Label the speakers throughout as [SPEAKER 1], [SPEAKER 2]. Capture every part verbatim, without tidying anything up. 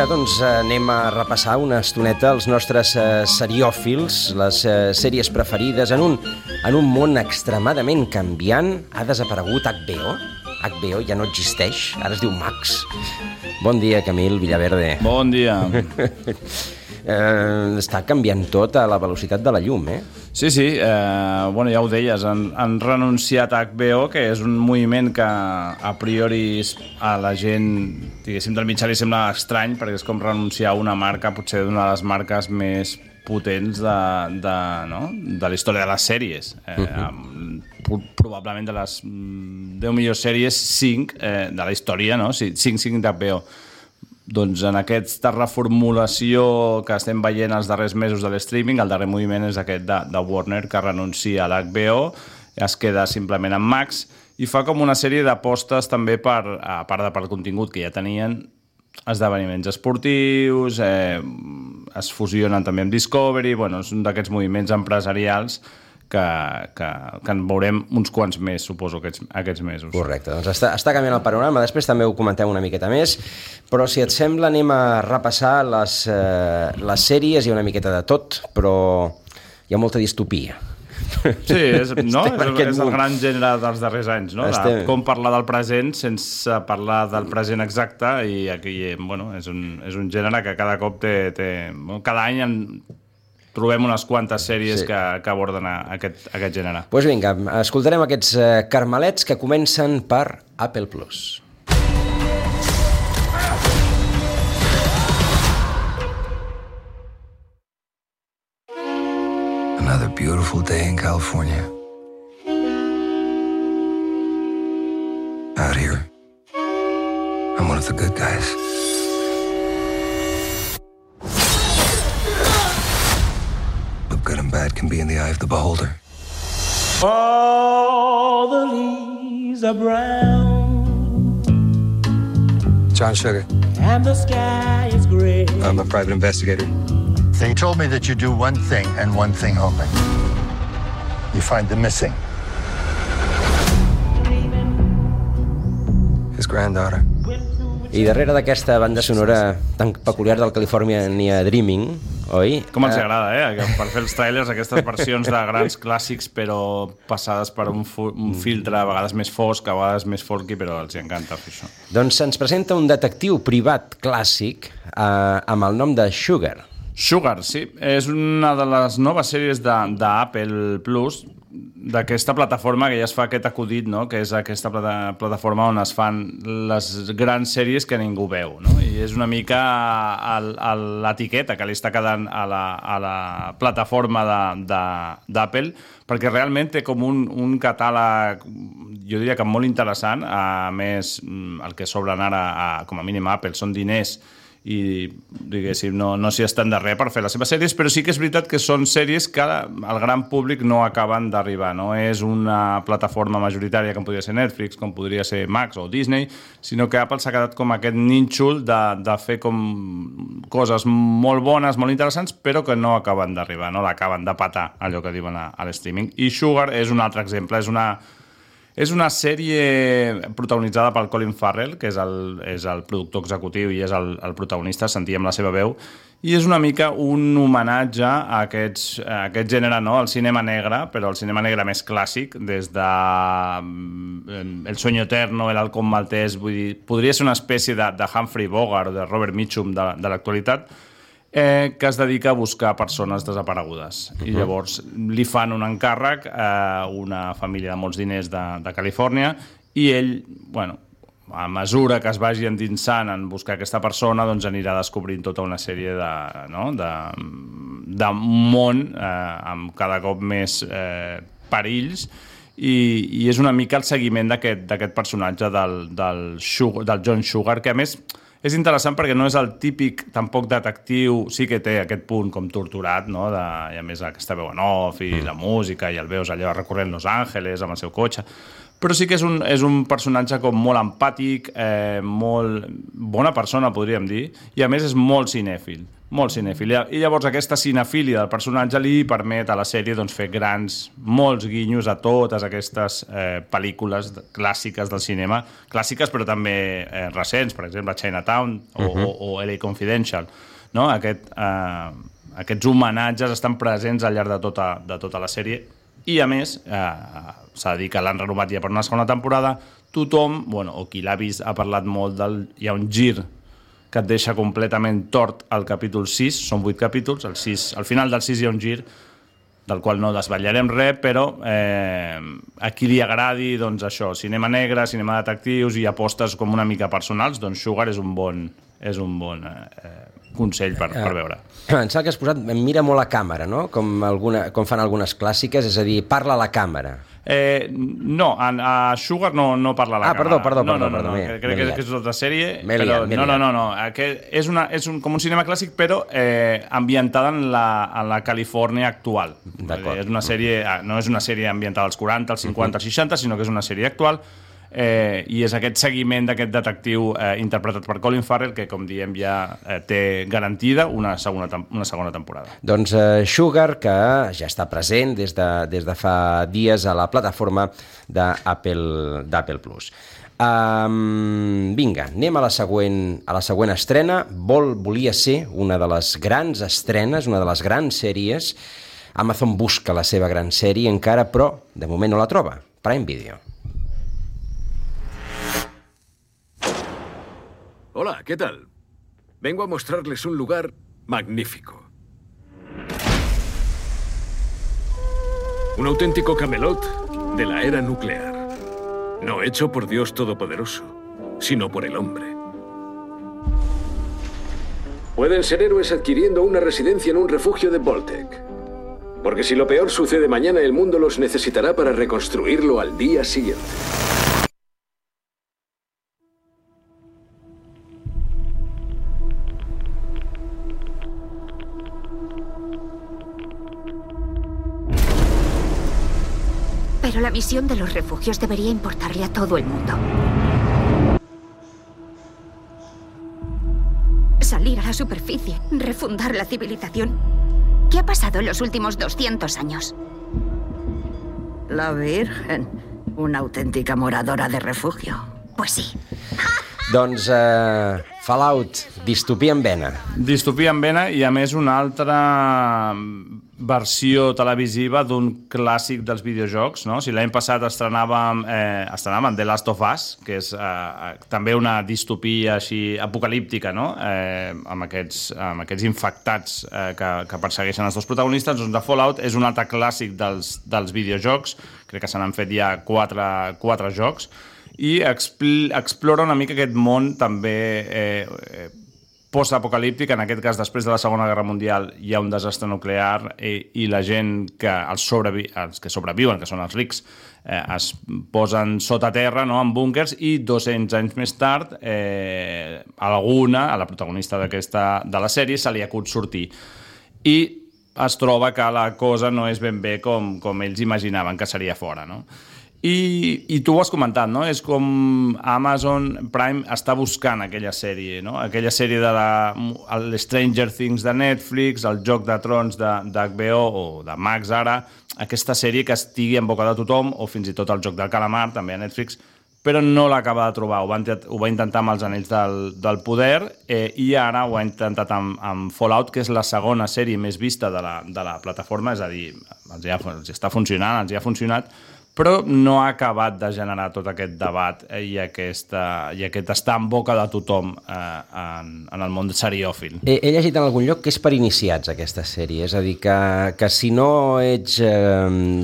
[SPEAKER 1] vinga, doncs anem a repassar una estoneta els nostres eh, seriòfils, les eh, sèries preferides en un, en un món extremadament canviant. Ha desaparegut H B O? H B O ja no existeix, ara es diu Max. Bon dia, Camil Villaverde.
[SPEAKER 2] Bon dia.
[SPEAKER 1] eh, està canviant tot a la velocitat de la llum, eh?
[SPEAKER 2] Sí, sí, eh, bueno, ja ho deies, han, han renunciat a H B O, que és un moviment que a priori a la gent, diguéssim, del mitjà li sembla estrany, perquè és com renunciar a una marca, potser d'una de les marques més potents de, de, no? de la història de les sèries. Eh, uh-huh. Probablement de les deu millors sèries, cinc eh, de la història, no? Sí, cinc, cinc d'H B O. Doncs en aquesta reformulació que estem veient els darrers mesos de l'streaming, el darrer moviment és aquest de, de Warner, que renuncia a l'H B O, es queda simplement amb Max i fa com una sèrie d'apostes també per, a part de per contingut que ja tenien, esdeveniments esportius, eh, es fusionen també amb Discovery, bueno, és un d'aquests moviments empresarials que, que, que en veurem uns quants més, suposo, aquests, aquests mesos.
[SPEAKER 1] Correcte, doncs està, està canviant el panorama, després també ho comentem una miqueta més, però si et sembla anem a repassar les, eh, les sèries, hi ha una miqueta de tot, però hi ha molta distopia.
[SPEAKER 2] Sí, és, no? és, és el gran gènere dels darrers anys, no?
[SPEAKER 1] Estem...
[SPEAKER 2] De com parlar del present sense parlar del present exacte, i aquí, bueno, és un, és un gènere que cada cop té... té cada any en trobem unes quantes sèries sí. que, que aborden aquest, aquest gènere.
[SPEAKER 1] Doncs pues vinga, escoltarem aquests uh, carmelets que comencen per Apple Plus.
[SPEAKER 3] Another beautiful day in California. Out here, I'm one of the good guys. Good and bad can be in the eye of the beholder.
[SPEAKER 4] All the leaves are brown.
[SPEAKER 3] John Sugar.
[SPEAKER 4] And the sky is gray.
[SPEAKER 3] I'm a private investigator.
[SPEAKER 5] They told me that you do one thing and one thing only. You find the missing.
[SPEAKER 3] His granddaughter.
[SPEAKER 1] I darrere d'aquesta banda sonora tan peculiar del California Dreaming, oi?
[SPEAKER 2] Com ens agrada, eh? Per fer els trailers, aquestes versions de grans clàssics, però passades per un, un filtre a vegades més fosc, a vegades més folky, però els encanta fer això.
[SPEAKER 1] Doncs se'ns presenta un detectiu privat clàssic eh, amb el nom de Sugar.
[SPEAKER 2] Sugar, sí. És una de les noves sèries d'Apple Plus, d'aquesta plataforma que ja es fa aquest acudit, no? Que és aquesta plata plataforma on es fan les grans sèries que ningú veu, no? I és una mica l'etiqueta que li està quedant a la, a la plataforma d'Apple, perquè realment té com un, un catàleg, jo diria que molt interessant. A més, el que sobren ara, a, com a mínim a Apple, són diners i, diguéssim, no, no s'hi estan de res per fer les seves sèries, però sí que és veritat que són sèries que al gran públic no acaben d'arribar. No és una plataforma majoritària com podria ser Netflix, com podria ser Max o Disney, sinó que Apple s'ha quedat com aquest nínxol de, de fer com coses molt bones, molt interessants, però que no acaben d'arribar, no l'acaben de patar, allò que diuen a, a l'streaming. I Sugar és un altre exemple, és una... És una sèrie protagonitzada pel Colin Farrell, que és el, és el productor executiu i és el, el protagonista, sentíem la seva veu, i és una mica un homenatge a, aquests, a aquest gènere, no? El cinema negre, però el cinema negre més clàssic, des de El sueño eterno, El halcón maltés, vull dir, podria ser una espècie de, de Humphrey Bogart o de Robert Mitchum de, de l'actualitat, Eh, que es dedica a buscar persones desaparegudes. Uh-huh. I llavors li fan un encàrrec a una família de molts diners de, de Califòrnia i ell, bueno, a mesura que es vagi endinsant en buscar aquesta persona, doncs anirà descobrint tota una sèrie de, no? de, de món eh, amb cada cop més eh, perills i, i és una mica el seguiment d'aquest personatge del, del, Sugar, del John Sugar, que a més és interessant perquè no és el típic, tampoc detectiu, sí que té aquest punt com torturat, no? De, i a més aquesta veu en off i la música i el veus allò recorrent Los Angeles amb el seu cotxe, però sí que és un, és un personatge com molt empàtic, eh, molt bona persona, podríem dir, i a més és molt cinèfil, molt cinèfil. I llavors aquesta cinefília del personatge li permet a la sèrie doncs, fer grans, molts guinyos a totes aquestes eh, pel·lícules clàssiques del cinema, clàssiques però també eh, recents, per exemple Chinatown o, uh-huh. o, o L A Confidential, no? Aquest, eh, aquests homenatges estan presents al llarg de tota, de tota la sèrie. I a més, eh, s'ha de dir que l'han renovat ja per una segona temporada, tothom, bueno, o qui l'ha vist ha parlat molt del... Hi ha un gir que et deixa completament tort al capítol sis, són vuit capítols, al, sis, al final del sis hi ha un gir del qual no desvetllarem res, però eh, a qui li agradi doncs això, cinema negre, cinema detectius i apostes com una mica personals, doncs Sugar és un bon, és un bon eh, consell per, per veure.
[SPEAKER 1] Em sembla que has posat mira molt a càmera, no? Com, alguna, com fan algunes clàssiques, és a dir, parla a la càmera.
[SPEAKER 2] Eh, no, a, a Sugar no, no parla a la
[SPEAKER 1] ah,
[SPEAKER 2] càmera.
[SPEAKER 1] Ah, perdó, perdó,
[SPEAKER 2] no,
[SPEAKER 1] perdó.
[SPEAKER 2] No, no,
[SPEAKER 1] perdó,
[SPEAKER 2] no, no. Crec que, que és tota sèrie,
[SPEAKER 1] però...
[SPEAKER 2] Liat, no, no, no, no. Aquest és, una, és un, com un cinema clàssic, però eh, ambientada en la, en la Califòrnia actual. És una sèrie, no és una sèrie ambientada als quaranta, als cinquanta, als seixanta, sinó que és una sèrie actual. Eh, i és aquest seguiment d'aquest detectiu eh, interpretat per Colin Farrell que, com diem, ja eh, té garantida una segona, una segona temporada.
[SPEAKER 1] Doncs eh, Sugar, que ja està present des de, des de fa dies a la plataforma d'Apple d'Apple Plus. Um, vinga, anem a la següent, a la següent estrena. Vol, volia ser una de les grans estrenes, una de les grans sèries. Amazon busca la seva gran sèrie encara, però de moment no la troba. Prime Video.
[SPEAKER 6] Hola, ¿qué tal? Vengo a mostrarles un lugar magnífico. Un auténtico Camelot de la era nuclear. No hecho por Dios Todopoderoso, sino por el hombre. Pueden ser héroes adquiriendo una residencia en un refugio de Voltec. Porque si lo peor sucede mañana, el mundo los necesitará para reconstruirlo al día siguiente.
[SPEAKER 7] Pero la misión de los refugios debería importarle a todo el mundo. Salir a la superficie, refundar la civilización. ¿Qué ha pasado en los últimos doscientos años?
[SPEAKER 8] La Virgen, una auténtica moradora de refugio.
[SPEAKER 7] Pues sí.
[SPEAKER 1] Doncs uh, Fallout, distopia en vena.
[SPEAKER 2] Distopia en vena i, a més, una altra versió televisiva d'un clàssic dels videojocs, no? Si l'any passat estrenàvem, eh, estrenàvem The Last of Us, que és eh, també una distopia així apocalíptica, no? Eh, amb, aquests, amb aquests infectats eh, que, que persegueixen els dos protagonistes, doncs The Fallout és un altre clàssic dels, dels videojocs, crec que se n'han fet ja quatre, quatre jocs, i expl explora una mica aquest món també eh, eh, post-apocalíptic. En aquest cas, després de la Segona Guerra Mundial hi ha un desastre nuclear i, i la gent que els, sobrevi els que sobreviuen, que són els rics, eh, es posen sota terra, no?, en búnkers, i dos-cents anys més tard eh, alguna, a la protagonista d'aquesta de la sèrie, se li acut sortir. I es troba que la cosa no és ben bé com, com ells imaginaven que seria fora, no? I, i tu ho has comentat, no? És com Amazon Prime està buscant aquella sèrie, no? Aquella sèrie de la Stranger Things de Netflix, el Joc de Trons d'H B O o de Max ara, aquesta sèrie que estigui en boca de tothom, o fins i tot el Joc del Calamar, també a Netflix, però no l'acaba de trobar. Ho va, ho va intentar amb els Anells del, del Poder eh, i ara ho ha intentat amb, amb Fallout, que és la segona sèrie més vista de la, de la plataforma, és a dir, els, ha, els està funcionant, els hi ha funcionat, però no ha acabat de generar tot aquest debat i, aquesta, i aquest estar en boca de tothom eh, en, en el món seriòfil.
[SPEAKER 1] He, he llegit en algun lloc que és per iniciats, aquesta sèrie, és a dir, que, que si no ets eh,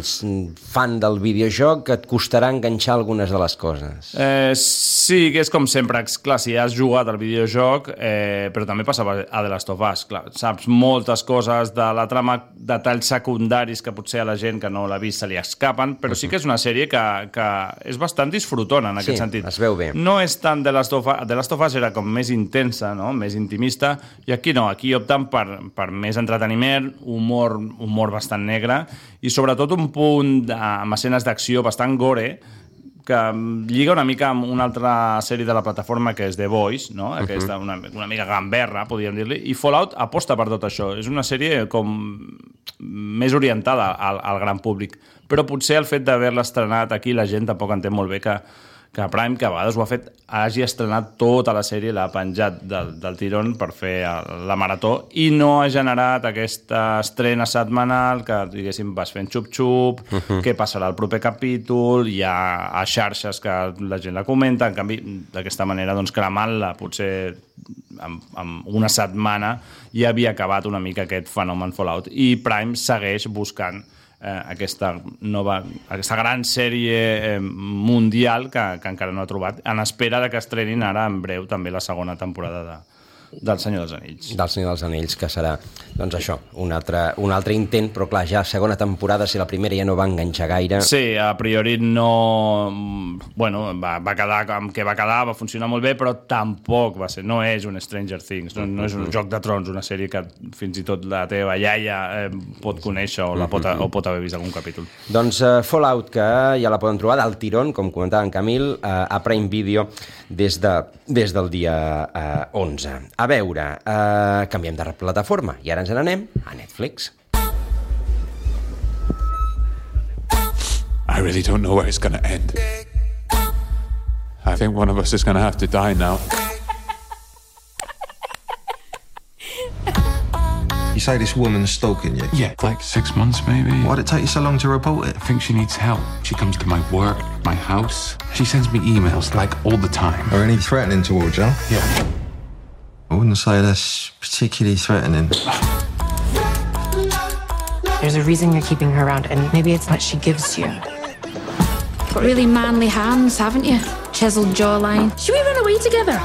[SPEAKER 1] fan del videojoc et costarà enganxar algunes de les coses.
[SPEAKER 2] Eh, sí, que és com sempre, clar, si has jugat al videojoc, eh, però també passava a The Last of Us, clar, saps moltes coses de la trama, detalls secundaris que potser a la gent que no l'ha vist se li escapen, però sí que és una sèrie que, que és bastant disfrutona en aquest
[SPEAKER 1] sí,
[SPEAKER 2] sentit.
[SPEAKER 1] Es veu bé.
[SPEAKER 2] No és tant The Last of Us, The Last of Us era com més intensa, no?, més intimista, i aquí no, aquí opten per, per més entreteniment, humor, humor bastant negre, i sobretot un punt de, amb escenes d'acció bastant gore, que lliga una mica amb una altra sèrie de la plataforma que és The Voice, no? Aquesta, una, una mica gamberra, podríem dir-li, i Fallout aposta per tot això. És una sèrie com més orientada al, al gran públic, però potser el fet d'haver-la estrenat aquí la gent tampoc entén molt bé que que Prime, que a vegades ho ha fet, hagi estrenat tota la sèrie, l'ha penjat del, del tirón per fer la marató i no ha generat aquesta estrena setmanal que, diguéssim, vas fent xup-xup, uh-huh. què passarà al proper capítol, hi ha a xarxes que la gent la comenta, en canvi, d'aquesta manera, doncs, cremant-la, potser amb, amb una setmana ja havia acabat una mica aquest fenomen Fallout. I Prime segueix buscant Eh, aquesta nova, aquesta gran sèrie eh, mundial que, que encara no ha trobat, en espera de que estrenin ara en breu també la segona temporada de, del Senyor dels Anells.
[SPEAKER 1] Del Senyor dels Anells, que serà, doncs això, un altre, un altre intent, però clar, ja segona temporada, si la primera ja no va enganxar gaire...
[SPEAKER 2] Sí, a priori no... Bueno, va, va quedar com que va quedar, va funcionar molt bé, però tampoc va ser, no és un Stranger Things, no, no és un Joc de Trons, una sèrie que fins i tot la teva iaia eh, pot conèixer o, la pot, o pot haver vist algun capítol.
[SPEAKER 1] Doncs uh, Fallout, que ja la poden trobar del tirón, com comentava en Camil, uh, a Prime Video des, de, des del dia uh, onze. A veure, uh, canviem de plataforma i ara ens n'anem a Netflix.
[SPEAKER 9] I really don't know where it's going to end. I think one of us is going to have to die now.
[SPEAKER 3] You say this woman's stalking you?
[SPEAKER 9] Yeah, like six months maybe.
[SPEAKER 3] Why'd it take you so long to report it?
[SPEAKER 9] I think she needs help. She comes to my work, my house. She sends me emails like all the time.
[SPEAKER 3] Are any threatening towards you?
[SPEAKER 9] Yeah.
[SPEAKER 3] I wouldn't say that's particularly threatening.
[SPEAKER 10] There's a reason you're keeping her around, and maybe it's what she gives you.
[SPEAKER 11] Got really manly hands, haven't you? Chiseled jawline. Should we run away together?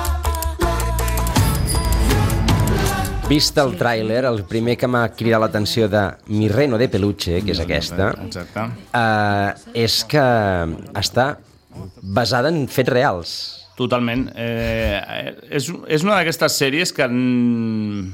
[SPEAKER 1] Vist el tràiler, el primer que m'ha cridat l'atenció de Mi Reno de Peluche, que és aquesta, uh, és que està basada en fets reals.
[SPEAKER 2] Totalment. Eh, és, és una d'aquestes sèries que mm,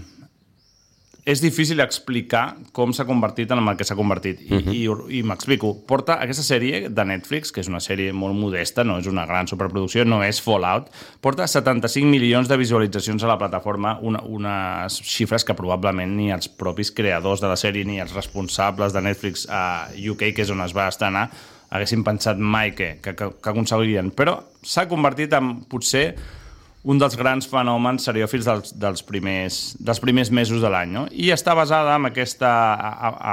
[SPEAKER 2] és difícil explicar com s'ha convertit en el que s'ha convertit. I, uh-huh. i, i m'explico. Porta aquesta sèrie de Netflix, que és una sèrie molt modesta, no és una gran superproducció, no és Fallout, porta setanta-cinc milions de visualitzacions a la plataforma, una, unes xifres que probablement ni els propis creadors de la sèrie ni els responsables de Netflix a U K, que és on es va estrenar, haguessin pensat mai que, que, que aconseguirien. Però s'ha convertit en, potser, un dels grans fenòmens seriòfils dels, dels, primers, dels primers mesos de l'any. No? I està basada en aquesta...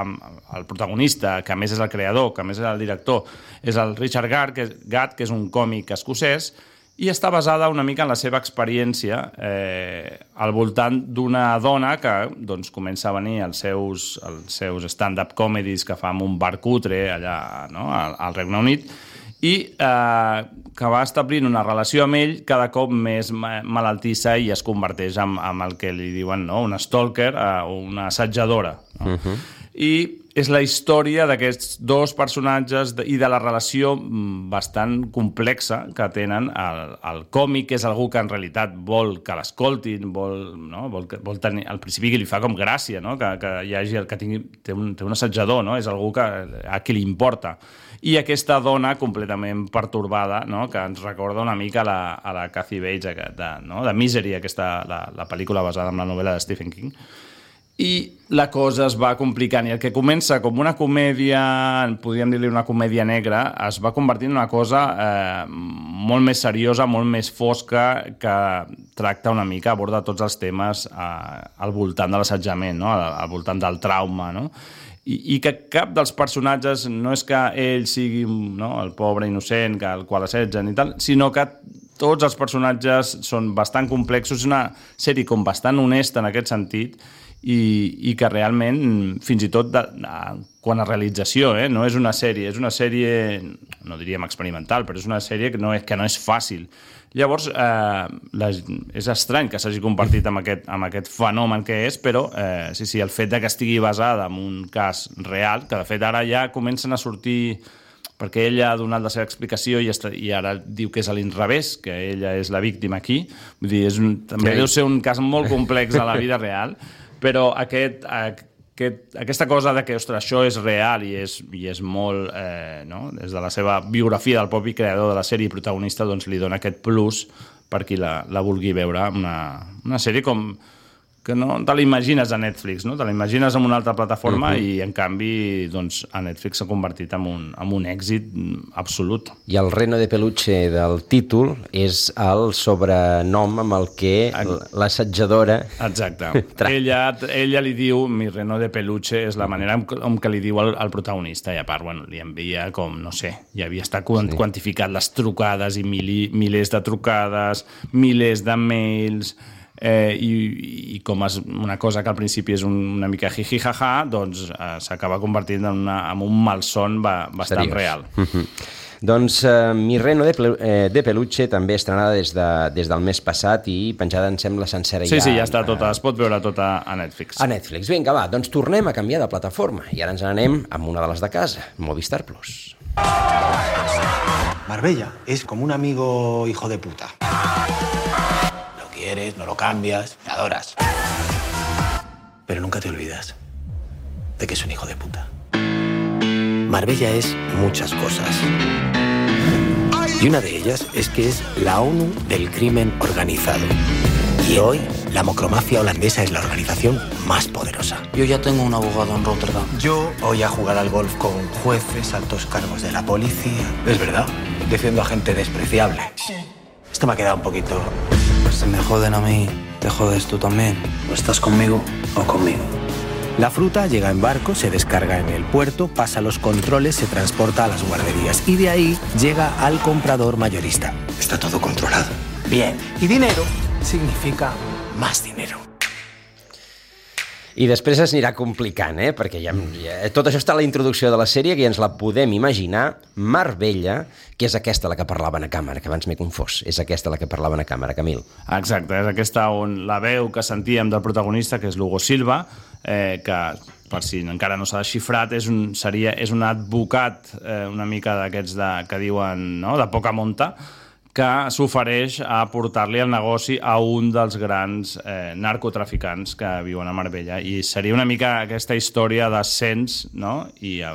[SPEAKER 2] amb el protagonista, que a més és el creador, que a més és el director, és el Richard Gadd, que, Gadd, que és un còmic escocès, i està basada una mica en la seva experiència eh, al voltant d'una dona que doncs, comença a venir als seus, als seus stand-up comedies que fa en un bar cutre allà, no? al, al Regne Unit, i eh, que va establint una relació amb ell cada cop més malaltissa i es converteix en, en el que li diuen, no? una stalker o eh, una assetjadora. No? Uh-huh. I és la història d'aquests dos personatges i de la relació bastant complexa que tenen. El, el còmic és algú que en realitat vol que l'escoltin, vol, no? vol, vol tenir, al principi que li fa com gràcia, no? que, que hi hagi el que tingui, té, un, té un assetjador, no? és algú que, a qui li importa. I aquesta dona completament pertorbada, no? que ens recorda una mica a la, a la Kathy Bates, de, no? de Misery, aquesta, la, la pel·lícula basada en la novel·la de Stephen King. I la cosa es va complicant, i el que comença com una comèdia, podríem dir-li una comèdia negra, es va convertir en una cosa eh, molt més seriosa, molt més fosca, que tracta una mica, aborda tots els temes eh, al voltant de l'assetjament, no? al, al voltant del trauma, no? I, i que cap dels personatges no és que ell sigui, no? el pobre innocent que, el qual assetgen i tal, sinó que tots els personatges són bastant complexos, és una sèrie com bastant honesta en aquest sentit, i, i que realment, fins i tot de, de, quan a realització, eh, no és una sèrie, és una sèrie, no diríem experimental, però és una sèrie que no és, que no és fàcil. Llavors, eh, la, és estrany que s'hagi convertit en aquest, en aquest fenomen que és, però eh, sí, sí, el fet de que estigui basada en un cas real, que de fet ara ja comencen a sortir, perquè ella ha donat la seva explicació i, està, i ara diu que és a l'inrevés, que ella és la víctima aquí. Vull dir, és un, també sí. deu ser un cas molt complex a la vida real, però aquest, aquest, aquesta cosa de que, ostres, això és real i és, i és molt, eh, no? Des de la seva biografia del propi creador de la sèrie i protagonista, doncs li dona aquest plus per qui la, la vulgui veure. Una, una sèrie com que no te l'imagines a Netflix, no? Te l'imagines en una altra plataforma uh-huh. i, en canvi, doncs, a Netflix s'ha convertit en un, en un èxit absolut.
[SPEAKER 1] I el reno de peluche del títol és el sobrenom amb el que l'assetjadora...
[SPEAKER 2] Exacte. ella, ella li diu, mi reno de peluche, és la manera amb, amb què li diu al, al protagonista, i a part, bueno, li envia com, no sé, ja havia estat sí. quantificat les trucades i mili, milers de trucades, milers de mails... Eh, i, i com és una cosa que al principi és un, una mica jiji-jaja, doncs eh, s'acaba convertint en, una, en un malson ba, bastant Seriós. real.
[SPEAKER 1] Mm-hmm. Doncs eh, Mi reno de, eh, de peluche també estrenada des, de, des del mes passat i penjada, em sembla, sencera
[SPEAKER 2] sí,
[SPEAKER 1] ja.
[SPEAKER 2] Sí, ja està tota, es pot veure tota a Netflix.
[SPEAKER 1] A Netflix. Vinga, va, doncs tornem a canviar de plataforma i ara ens n'anem amb una de les de casa, Movistar Plus.
[SPEAKER 12] Marbella es como un amigo hijo de puta. Quieres, no lo cambias, me adoras. Pero nunca te olvidas de que es un hijo de puta. Marbella es muchas cosas. Y una de ellas es que es la ONU del crimen organizado. Y hoy la mocromafia holandesa es la organización más poderosa.
[SPEAKER 13] Yo ya tengo un abogado en Rotterdam.
[SPEAKER 12] Yo voy a jugar al golf con jueces, altos cargos de la policía. Es verdad, defiendo a gente despreciable. Esto me ha quedado un poquito...
[SPEAKER 13] Si me joden a mí, te jodes tú también.
[SPEAKER 12] O estás conmigo o conmigo. La fruta llega en barco, se descarga en el puerto, pasa los controles, se transporta a las guarderías y de ahí llega al comprador mayorista. Está todo controlado. Bien. Y dinero significa más dinero.
[SPEAKER 1] I després es anirà complicant, eh? Perquè ja, ja, tot això està a la introducció de la sèrie, que ja ens la podem imaginar. Marbella, que és aquesta la que parlaven a càmera, que abans m'he confós. És aquesta la que parlaven a càmera, Camil.
[SPEAKER 2] Exacte, és aquesta on la veu que sentíem del protagonista, que és l'Hugo Silva, eh, que, per si encara no s'ha desxifrat, és un, seria, és un advocat eh, una mica d'aquests de, que diuen, no?, de poca monta, que s'ofereix a portar-li el negoci a un dels grans eh, narcotraficants que viuen a Marbella. I seria una mica aquesta història d'ascens, no?, i eh,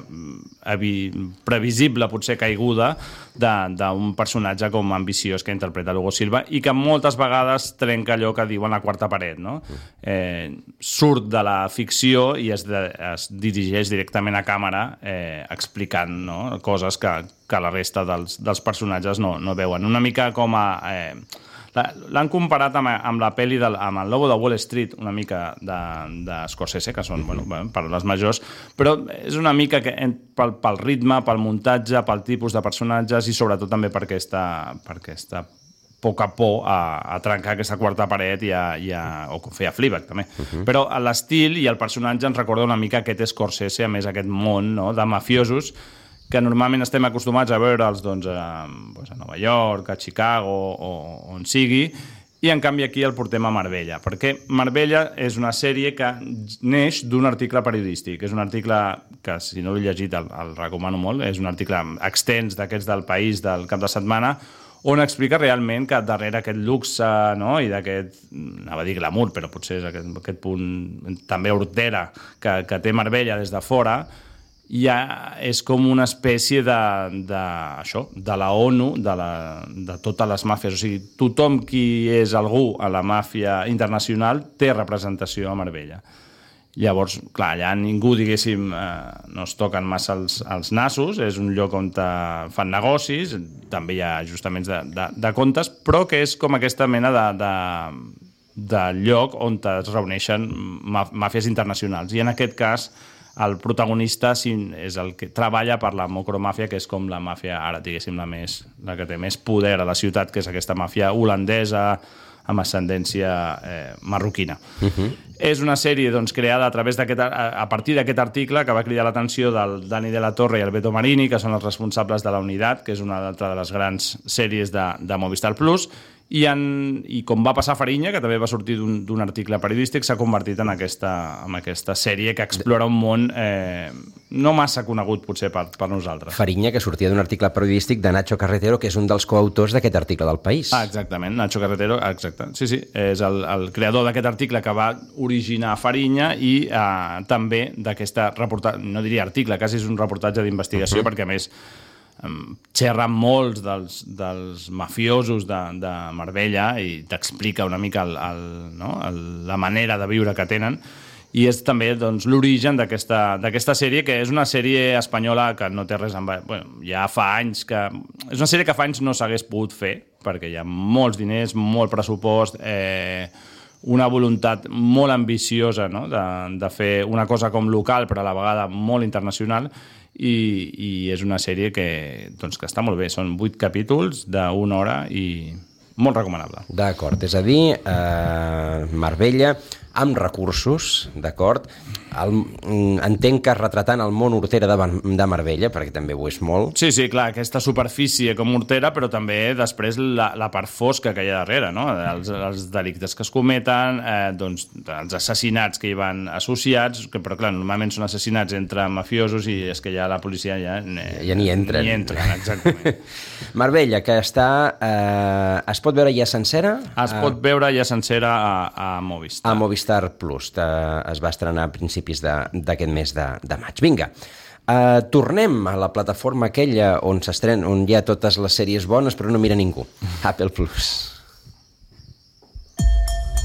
[SPEAKER 2] previsible, potser caiguda, d'un personatge com ambiciós que interpreta l'Hugo Silva i que moltes vegades trenca allò que diuen la quarta paret, no? Eh, surt de la ficció i es, de, es dirigeix directament a càmera eh, explicant, no?, coses que, que la resta dels, dels personatges no, no veuen. Una mica com a... Eh, l'han comparat amb, amb la pel·li del, amb el Lobo de Wall Street, una mica de, de Scorsese, que són, bueno, paraules majors, però és una mica que, pel, pel ritme, pel muntatge, pel tipus de personatges i sobretot també per aquesta, per aquesta poca por a, a trencar aquesta quarta paret i a, i a, o fer a Fleabag, també. Uh-huh. Però l'estil i el personatge ens recorda una mica aquest Scorsese, a més aquest món, no?, de mafiosos que normalment estem acostumats a veure'ls doncs, a, doncs, a Nova York, a Chicago o on sigui, i en canvi aquí el portem a Marbella, perquè Marbella és una sèrie que neix d'un article periodístic. És un article que, si no l'he llegit, el, el recomano molt. És un article extens d'aquests del País del cap de setmana, on explica realment que darrere aquest luxe, no?, i d'aquest, anava a dir glamour, però potser és aquest, aquest punt també hortera que, que té Marbella des de fora, ja és com una espècie de, de, això, de la ONU, de, la, de totes les màfies. O sigui, tothom qui és algú a la màfia internacional té representació a Marbella. Llavors, clar, allà ningú, diguéssim, eh, no es toquen massa els, els nassos, és un lloc on fan negocis, també hi ha ajustaments de, de, de comptes, però que és com aquesta mena de, de, de lloc on es reuneixen màfies internacionals. I en aquest cas, el protagonista és el que treballa per la mocromàfia, que és com la màfia, ara diguéssim, la, més, la que té més poder a la ciutat, que és aquesta màfia holandesa amb ascendència eh, marroquina. Uh-huh. És una sèrie doncs, creada a, través d'aquest, a, a partir d'aquest article que va cridar l'atenció del Dani de la Torre i el Beto Marini, que són els responsables de La Unitat, que és una altra de les grans sèries de, de Movistar Plus, I, en, i com va passar a Farinya, que també va sortir d'un article periodístic, s'ha convertit en aquesta, en aquesta sèrie que explora un món eh, no massa conegut, potser, per, per nosaltres.
[SPEAKER 1] Farinya, que sortia d'un article periodístic de Nacho Carretero, que és un dels coautors d'aquest article del País.
[SPEAKER 2] Ah, exactament, Nacho Carretero, exacte. Sí, sí, és el, el creador d'aquest article que va originar Farinya i eh, també d'aquesta reportatge, no diria article, quasi és un reportatge d'investigació, uh-huh. perquè a més xerra molts dels, dels mafiosos de, de Marbella i t'explica una mica el, el, no? el, la manera de viure que tenen, i és també doncs, l'origen d'aquesta sèrie, que és una sèrie espanyola que no té res amb... Bueno, ja fa anys que... És una sèrie que fa anys no s'hagués pogut fer, perquè hi ha molts diners, molt pressupost, eh, una voluntat molt ambiciosa, no? de, de fer una cosa com local, però a la vegada molt internacional, i, i és una sèrie que, doncs, que està molt bé. Són vuit capítols d'una hora i molt recomanable.
[SPEAKER 1] D'acord, és a dir, eh, Marbella amb recursos, d'acord? Entenc que retratant el món hortera de, de Marbella, perquè també ho és molt.
[SPEAKER 2] Sí, sí, clar, aquesta superfície com hortera, però també després la, la part fosca que hi ha darrere, no? Els, els delictes que es cometen, eh, doncs, els assassinats que hi van associats, que, però clar, normalment són assassinats entre mafiosos i és que ja la policia ja... Eh,
[SPEAKER 1] ja ni entren.
[SPEAKER 2] Ni entren, exactament.
[SPEAKER 1] Marbella, que està... Eh, es pot veure ja sencera?
[SPEAKER 2] Es pot veure ja sencera a, a Movistar.
[SPEAKER 1] A Movistar Plus. Es va estrenar a principis d'aquest mes de, de maig. Vinga, uh, tornem a la plataforma aquella on s'estrenen, on hi ha totes les sèries bones però no mira ningú. Apple Plus.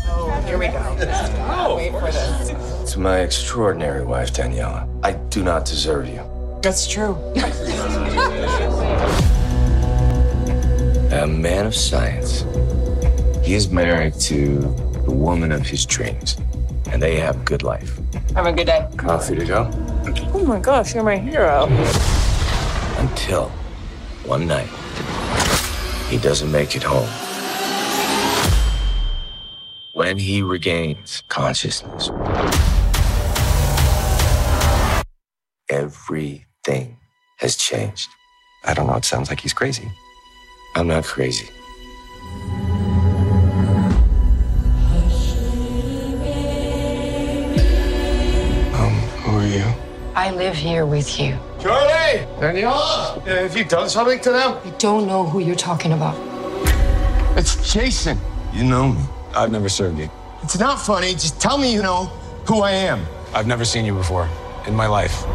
[SPEAKER 14] Oh, here we go. Oh, wait for this.
[SPEAKER 3] To my extraordinary wife, Daniela, I do not deserve you.
[SPEAKER 14] That's true.
[SPEAKER 3] A man of science. He is married to the woman of his dreams, and they have a good life.
[SPEAKER 14] Have a good day.
[SPEAKER 3] Coffee to go?
[SPEAKER 14] Oh my gosh, you're my hero.
[SPEAKER 3] Until one night, he doesn't make it home. When he regains consciousness, everything has changed.
[SPEAKER 15] I don't know, it sounds like he's crazy.
[SPEAKER 3] I'm not crazy.
[SPEAKER 15] Who are you?
[SPEAKER 10] I live here with you.
[SPEAKER 5] Charlie! Daniela! Have you done something to them?
[SPEAKER 10] I don't know who you're talking about.
[SPEAKER 5] It's Jason.
[SPEAKER 3] You know me.
[SPEAKER 15] I've never served you.
[SPEAKER 5] It's not funny. Just tell me you know who I am.
[SPEAKER 15] I've never seen you before in my life.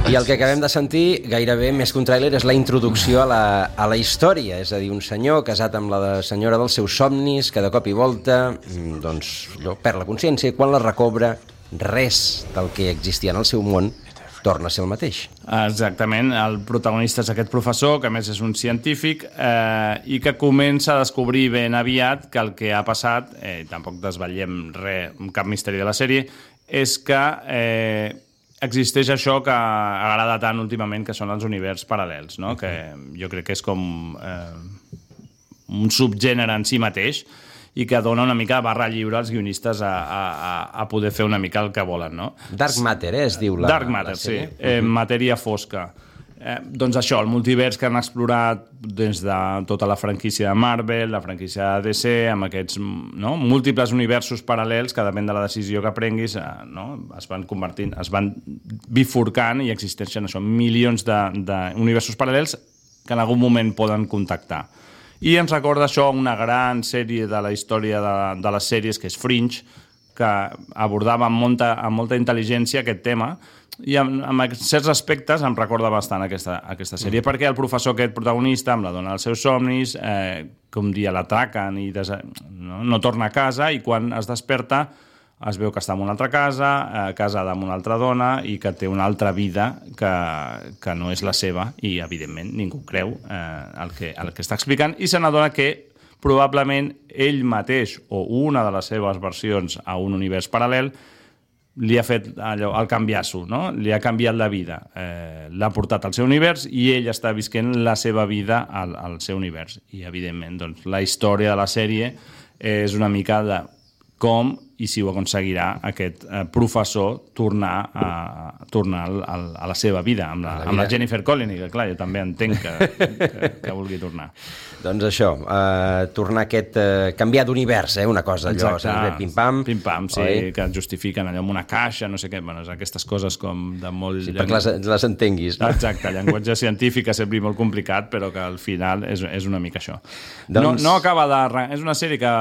[SPEAKER 1] I el que acabem de sentir, gairebé més que un tràiler, és la introducció a la, a la història. És a dir, un senyor casat amb la senyora dels seus somnis, que de cop i volta doncs, perd la consciència, i quan la recobra, res del que existia en el seu món torna a ser el mateix.
[SPEAKER 2] Exactament. El protagonista és aquest professor, que a més és un científic, eh, i que comença a descobrir ben aviat que el que ha passat, eh, tampoc desvetllem res, cap misteri de la sèrie, és que eh, existeix això que agrada tant últimament, que són els univers paral·lels, no? Que jo crec que és com eh, un subgènere en si mateix i que dona una mica de barra lliure als guionistes a, a, a poder fer una mica el que volen, no?
[SPEAKER 1] Dark Matter, eh, es diu la
[SPEAKER 2] Dark Matter, la sí. Eh, matèria fosca. Eh, doncs això, el multivers que han explorat des de tota la franquícia de Marvel, la franquícia de D C, amb aquests no, múltiples universos paral·lels que depèn de la decisió que prenguis, eh, no, es van convertint, es van bifurcant i existeixen això, milions d'universos paral·lels que en algun moment poden contactar. I ens recorda això una gran sèrie de la història de, de les sèries, que és Fringe, que abordava amb molta, amb molta intel·ligència aquest tema, i en, en certs aspectes em recorda bastant aquesta, aquesta sèrie, mm. perquè el professor aquest protagonista, amb la dona dels seus somnis, eh, com dia l'atraquen i des... no, no torna a casa, i quan es desperta es veu que està en una altra casa, eh, casada amb una altra dona, i que té una altra vida que, que no és la seva, i evidentment ningú creu eh, el, que, el que està explicant, i se n'adona que probablement ell mateix o una de les seves versions a un univers paral·lel li ha fet allò, el canviasso, no? Li ha canviat la vida, eh, l'ha portat al seu univers i ell està visquent la seva vida al, al seu univers. I evidentment doncs, la història de la sèrie és una mica de com i si ho aconseguirà aquest eh, professor tornar a, tornar a, a la seva vida amb la, la, vida. Amb la Jennifer Connelly, que clar, jo també entenc que, que, que vulgui tornar.
[SPEAKER 1] Doncs això, eh, tornar a aquest... Eh, canviar d'univers, eh, una cosa, allò,
[SPEAKER 2] exacte,
[SPEAKER 1] pim-pam.
[SPEAKER 2] Pim-pam, sí, oi? Que justifiquen allò amb una caixa, no sé què, bueno, aquestes coses com de molt...
[SPEAKER 1] Sí, perquè les, les entenguis. No?
[SPEAKER 2] Exacte, llenguatge científic és sempre molt complicat, però que al final és, és una mica això.
[SPEAKER 1] Doncs...
[SPEAKER 2] No, no acaba de... És una sèrie que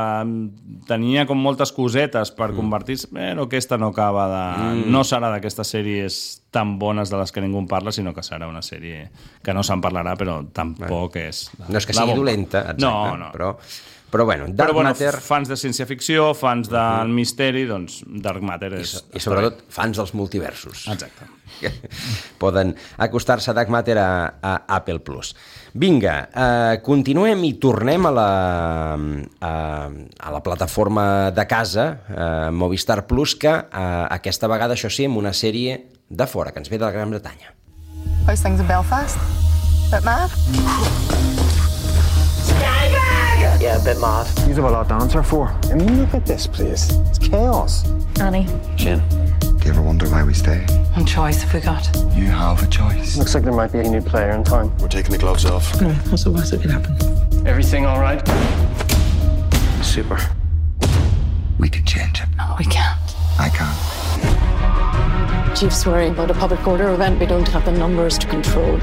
[SPEAKER 2] tenia com moltes cosetes per mm. convertir-se, però aquesta no acaba de... Mm. No serà d'aquestes sèries tan bones de les que ningú en parla, sinó que serà una sèrie que no se'n parlarà, però tampoc
[SPEAKER 1] bueno.
[SPEAKER 2] és... La,
[SPEAKER 1] no és que sigui bomba. Dolenta, exacte,
[SPEAKER 2] no, no.
[SPEAKER 1] però... Però bueno, Dark
[SPEAKER 2] però, bueno,
[SPEAKER 1] Matter...
[SPEAKER 2] fans de ciència-ficció, fans del uh-huh. misteri, doncs Dark Matter és...
[SPEAKER 1] I, i sobretot fans dels multiversos.
[SPEAKER 2] Exacte.
[SPEAKER 1] Poden acostar-se a Dark Matter a, a Apple Plus. Vinga, eh, continuem i tornem a la, a, a la plataforma de casa, eh, Movistar Plus, que eh, aquesta vegada, això sí, amb una sèrie de fora, que ens ve de la Gran Bretanya.
[SPEAKER 16] How's things in Belfast? Bit mad?
[SPEAKER 12] Yeah, a bit mad.
[SPEAKER 15] You have a lot to answer for. I mean, look at this place. It's chaos.
[SPEAKER 11] Annie.
[SPEAKER 15] Shin, do you ever wonder why we stay?
[SPEAKER 11] What choice have we got?
[SPEAKER 15] You have a choice.
[SPEAKER 16] Looks like there might be a new player in town.
[SPEAKER 15] We're taking the gloves off.
[SPEAKER 11] No, what's the worst that could happen?
[SPEAKER 16] Everything all right?
[SPEAKER 15] Super. We can change it.
[SPEAKER 11] No, we can't.
[SPEAKER 15] I can't.
[SPEAKER 11] Chief's worrying about a public order event we don't have the numbers to control.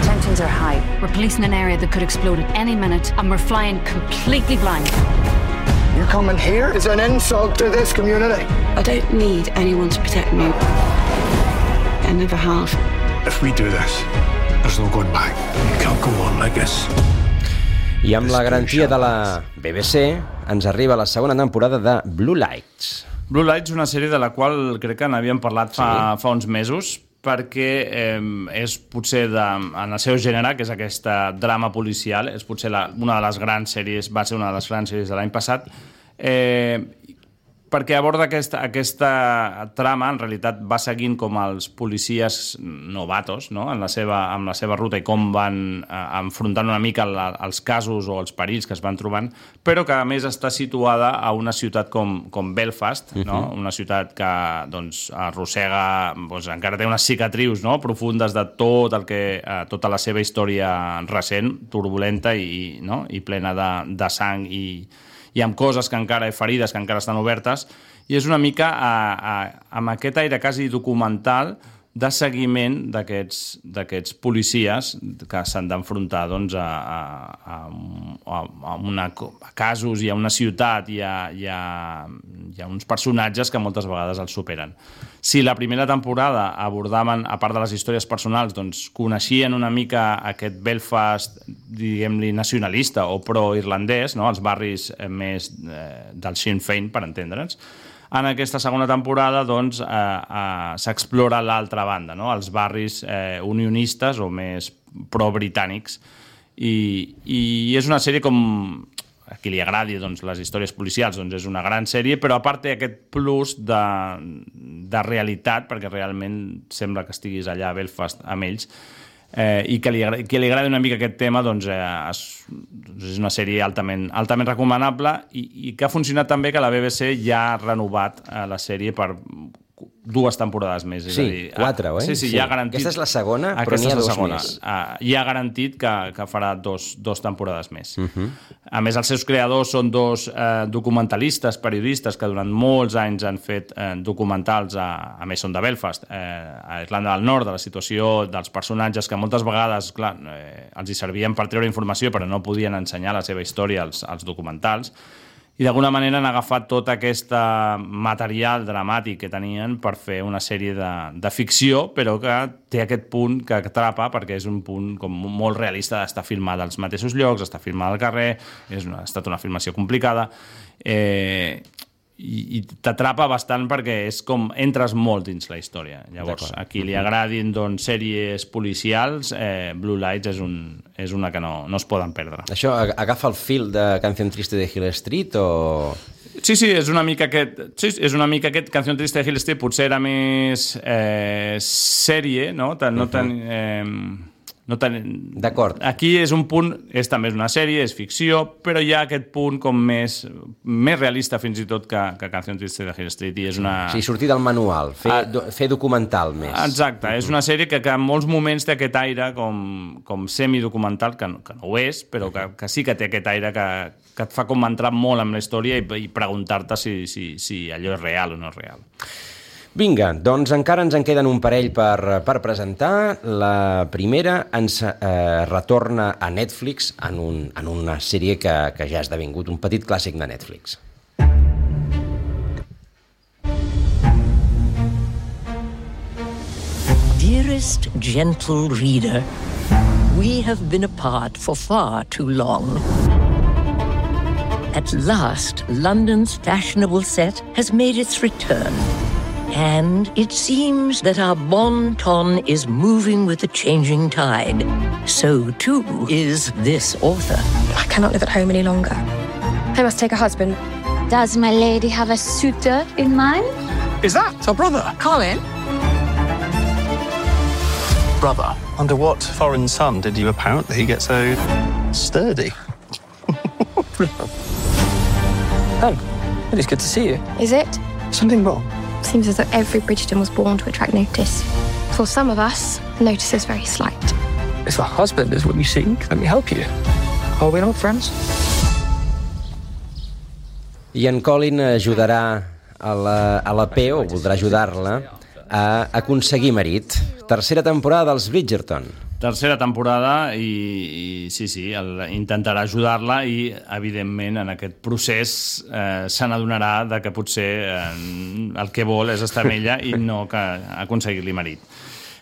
[SPEAKER 7] Tensions are high. We're policing an area that could explode at any minute, and we're flying completely blind.
[SPEAKER 16] You coming here is an insult to this community.
[SPEAKER 17] I don't need anyone to protect me. I never have.
[SPEAKER 15] If we do this, there's no going back. You can't go on like this.
[SPEAKER 1] I amb la garantia de la B B C ens arriba la segona temporada de Blue Lights.
[SPEAKER 2] Blue Lights, una sèrie de la qual crec que n'havíem parlat fa, sí. fa uns mesos, perquè eh, és potser de, en el seu gènere, que és aquesta drama policial, és potser la, una de les grans sèries, va ser una de les grans sèries de l'any passat, eh, perquè aborda aquesta, aquesta trama, en realitat va seguint com els policies novatos, no? en la seva, amb la seva ruta i com van eh, enfrontant una mica la, els casos o els perills que es van trobant, però que a més està situada a una ciutat com, com Belfast, uh-huh. no? Una ciutat que doncs, arrossega, doncs, encara té unes cicatrius, no? profundes de tot el que, eh, tota la seva història recent, turbulenta i, no? i plena de, de sang i i amb coses que encara, ferides que encara estan obertes, i és una mica a, a, amb aquest aire quasi documental de seguiment d'aquests d'aquests policies que s'han d'enfrontar doncs, a, a, a, a, una, a casos i a una ciutat i a, i, a, i a uns personatges que moltes vegades els superen. Si la primera temporada abordaven, a part de les històries personals, doncs coneixien una mica aquest Belfast, diguem-li, nacionalista o pro-irlandès, no? Els barris més eh, del Sinn Féin, per entendre'ns, en aquesta segona temporada doncs, eh, eh, s'explora l'altra banda, no? Els barris eh, unionistes o més pro-britànics. I, I és una sèrie com... a qui li agradi doncs, les històries policials, doncs és una gran sèrie, però a part té aquest plus de, de realitat, perquè realment sembla que estiguis allà a Belfast amb ells, eh, i que li, que li agradi una mica aquest tema, doncs, eh, és, és una sèrie altament, altament recomanable i, i que ha funcionat també que la B B C ja ha renovat eh, la sèrie per dues temporades més. És
[SPEAKER 1] sí,
[SPEAKER 2] a dir,
[SPEAKER 1] quatre, oi?
[SPEAKER 2] Sí, sí, sí. Ja ha garantit...
[SPEAKER 1] Aquesta és la segona, però n'hi ha dos més.
[SPEAKER 2] Uh, ja ha garantit que, que farà dos, dos temporades més.
[SPEAKER 1] Uh-huh.
[SPEAKER 2] A més, els seus creadors són dos uh, documentalistes, periodistes, que durant molts anys han fet uh, documentals, a, a més són de Belfast, uh, a Irlanda del Nord, de la situació dels personatges, que moltes vegades, clar, uh, els hi servien per treure informació, però no podien ensenyar la seva història als, als documentals. I d'alguna manera han agafat tot aquest material dramàtic que tenien per fer una sèrie de, de ficció, però que té aquest punt que atrapa, perquè és un punt com molt realista d'estar filmada als mateixos llocs, està filmada al carrer, és una, ha estat una filmació complicada, eh, i, i t'atrapa bastant perquè és com entres molt dins la història. Llavors, a qui li agradin doncs, sèries policials, eh, Blue Lights és, un, és una que no, no es poden perdre.
[SPEAKER 1] Això agafa el fil de Canción Triste de Hill Street o...?
[SPEAKER 2] Sí, sí, és una mica aquest, sí, és una mica aquest Canción Triste de Hill Street, potser era més eh, sèrie, no? Tan, no tan, eh, No ten...
[SPEAKER 1] D'acord.
[SPEAKER 2] Aquí és un punt, és també una sèrie, és ficció, però hi ha aquest punt com més, més realista fins i tot que, que Canción Triste de Hill Street. I és una...
[SPEAKER 1] Sí, sortir del manual, fer, ah, do, fer documental més.
[SPEAKER 2] Exacte, uh-huh. És una sèrie que, que en molts moments té aquest aire com, com semidocumental, que, que no ho és, però que, que sí que té aquest aire que, que et fa com entrar molt en la història i, i preguntar-te si, si, si allò és real o no és real.
[SPEAKER 1] Vinga, doncs encara ens en queden un parell per, per presentar. La primera ens eh, retorna a Netflix en, un, en una sèrie que, que ja ha esdevingut un petit clàssic de Netflix.
[SPEAKER 18] Dearest gentle reader, we have been apart for far too long. At last, London's fashionable set has made its return. And it seems that our bon ton is moving with the changing tide. So, too, is this author.
[SPEAKER 10] I cannot live at home any longer. I must take a husband.
[SPEAKER 19] Does my lady have a suitor in mind?
[SPEAKER 15] Is that our brother?
[SPEAKER 19] Colin?
[SPEAKER 13] Brother, under what foreign sun did you apparently get so sturdy?
[SPEAKER 20] Oh, it is good to see you.
[SPEAKER 10] Is it?
[SPEAKER 20] Something wrong?
[SPEAKER 10] Seems as though every Bridgerton was born to attract notice. For some of us, notice is very slight.
[SPEAKER 20] If a husband is what you seek, let me help you. Are we not friends?
[SPEAKER 1] I en Colin ajudarà a la, a la P, o voldrà ajudar-la, a aconseguir marit. Tercera temporada dels Bridgerton.
[SPEAKER 2] Tercera temporada i, i sí, sí, el, intentarà ajudar-la i, evidentment, en aquest procés eh, se n'adonarà de que potser eh, el que vol és estar amb ella i no que aconseguir-li marit.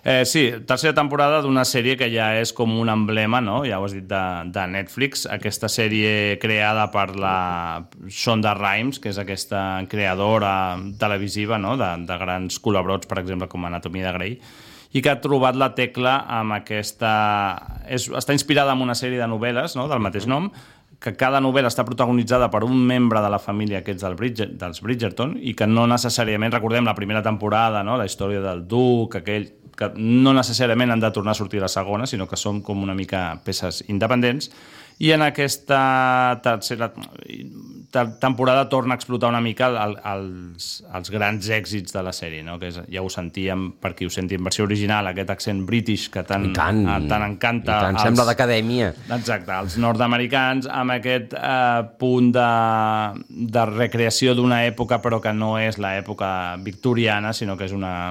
[SPEAKER 2] Eh, sí, tercera temporada d'una sèrie que ja és com un emblema, no? Ja ho has dit, de, de Netflix, aquesta sèrie creada per la Shonda Rhimes, que és aquesta creadora televisiva, no? de, de grans col·laboracions, per exemple, com Anatomia de Grey, i que ha trobat la tecla amb aquesta... És, està inspirada en una sèrie de novel·les, no?, del mateix nom, que cada novel·la està protagonitzada per un membre de la família aquests del Bridger, dels Bridgerton i que no necessàriament, recordem la primera temporada, no?, la història del duc, aquell, que no necessàriament han de tornar a sortir a la segona, sinó que són com una mica peces independents, i en aquesta tercera temporada torna a explotar una mica el, els, els grans èxits de la sèrie, no? Que és, ja ho sentíem, per qui ho senti en versió original, aquest accent british que tant, tant, tant encanta.
[SPEAKER 1] I tant, als, sembla d'acadèmia.
[SPEAKER 2] Exacte, els nord-americans, amb aquest eh, punt de, de recreació d'una època, però que no és l'època victoriana, sinó que és una